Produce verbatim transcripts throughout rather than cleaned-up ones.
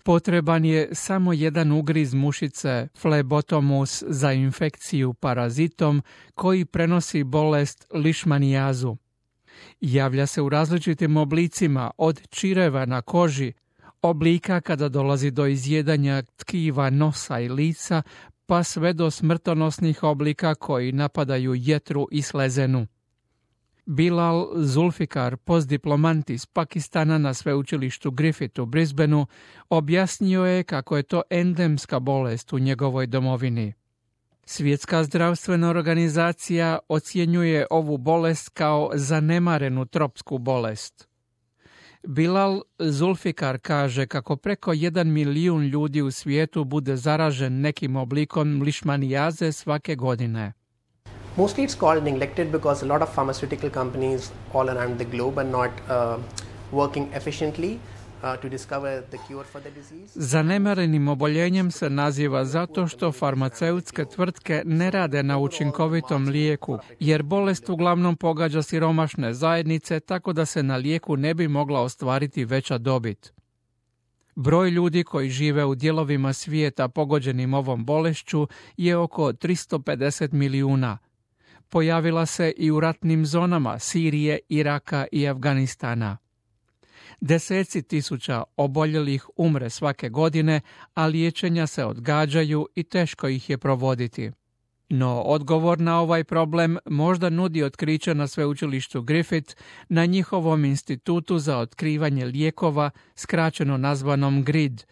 Potreban je samo jedan ugriz mušice Phlebotomus za infekciju parazitom koji prenosi bolest lišmanijazu. Javlja se u različitim oblicima, od čireva na koži, oblika kada dolazi do izjedanja tkiva nosa i lica, pa sve do smrtonosnih oblika koji napadaju jetru i slezenu. Bilal Zulfikar, postdiplomant iz Pakistana na sveučilištu Griffith u Brisbaneu, objasnio je kako je to endemska bolest u njegovoj domovini. Svjetska zdravstvena organizacija ocjenjuje ovu bolest kao zanemarenu tropsku bolest. Bilal Zulfikar kaže kako preko jedan milijun ljudi u svijetu bude zaražen nekim oblikom lišmanijaze svake godine. Mostly it's called neglected because a lot of pharmaceutical companies all around the globe are not uh, working efficiently uh, to discover the cure for the disease. Zanemarenim oboljenjem se naziva zato što farmaceutske tvrtke ne rade na učinkovitom lijeku, jer bolest uglavnom pogađa siromašne zajednice, tako da se na lijeku ne bi mogla ostvariti veća dobit. Broj ljudi koji žive u dijelovima svijeta pogođenim ovom bolešću je oko tristo pedeset milijuna. Pojavila se i u ratnim zonama Sirije, Iraka i Afganistana. Deseci tisuća oboljelih umre svake godine, a liječenja se odgađaju i teško ih je provoditi. No, odgovor na ovaj problem možda nudi otkriće na sveučilištu Griffith na njihovom institutu za otkrivanje lijekova, skraćeno nazvanom G R I D.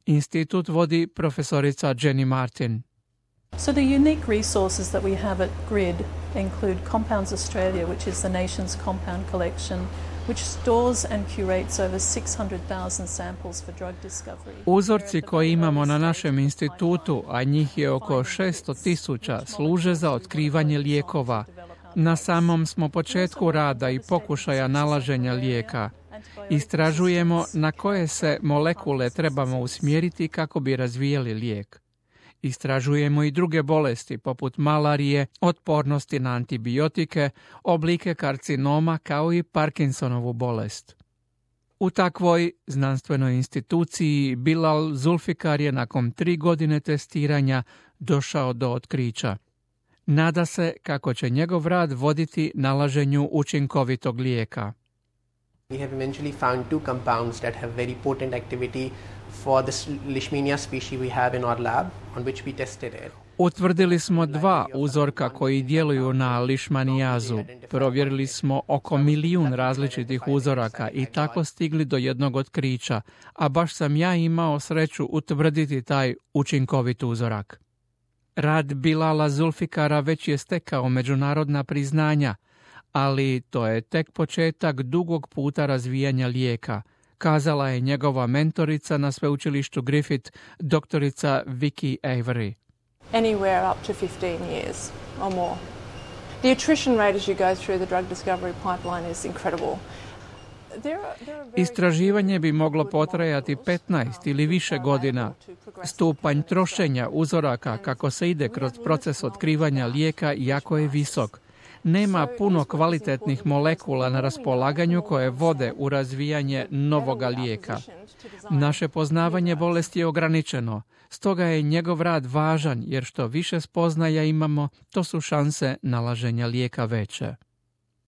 Institut vodi profesorica Jenny Martin. So the unique resources that we have at G R I D include Compounds Australia, which is the nation's compound collection, which stores and curates over six hundred thousand samples for drug discovery. Uzorci koje imamo na našem institutu, a njih je oko šesto tisuća, služe za otkrivanje lijekova. Na samom smo početku rada i pokušaja nalaženja lijeka. Istražujemo na koje se molekule trebamo usmjeriti kako bi razvijali lijek. Istražujemo i druge bolesti poput malarije, otpornosti na antibiotike, oblike karcinoma kao i Parkinsonovu bolest. U takvoj znanstvenoj instituciji Bilal Zulfikar je nakon tri godine testiranja došao do otkrića. Nada se kako će njegov rad voditi nalaženju učinkovitog lijeka. We have eventually found two compounds that have very potent activity for this Leishmania species we have in our lab on which we tested it. Utvrdili smo dva uzorka koji djeluju na lišmanijazu. Provjerili smo oko milijun različitih uzoraka i tako stigli do jednog otkrića, a baš sam ja imao sreću utvrditi taj učinkovit uzorak. Rad Bilala Zulfikara već je stekao međunarodna priznanja, ali to je tek početak dugog puta razvijanja lijeka, kazala je njegova mentorica na sveučilištu Griffith, doktorica Vicky Avery. Anywhere up to fifteen years or more. The attrition rate as you go through the drug discovery pipeline is incredible. Istraživanje bi moglo potrajati petnaest ili više godina. Stupanj trošenja uzoraka kako se ide kroz proces otkrivanja lijeka jako je visok. Nema puno kvalitetnih molekula na raspolaganju koje vode u razvijanje novoga lijeka. Naše poznavanje bolesti je ograničeno, stoga je njegov rad važan jer što više spoznaja imamo, to su šanse nalaženja lijeka veće.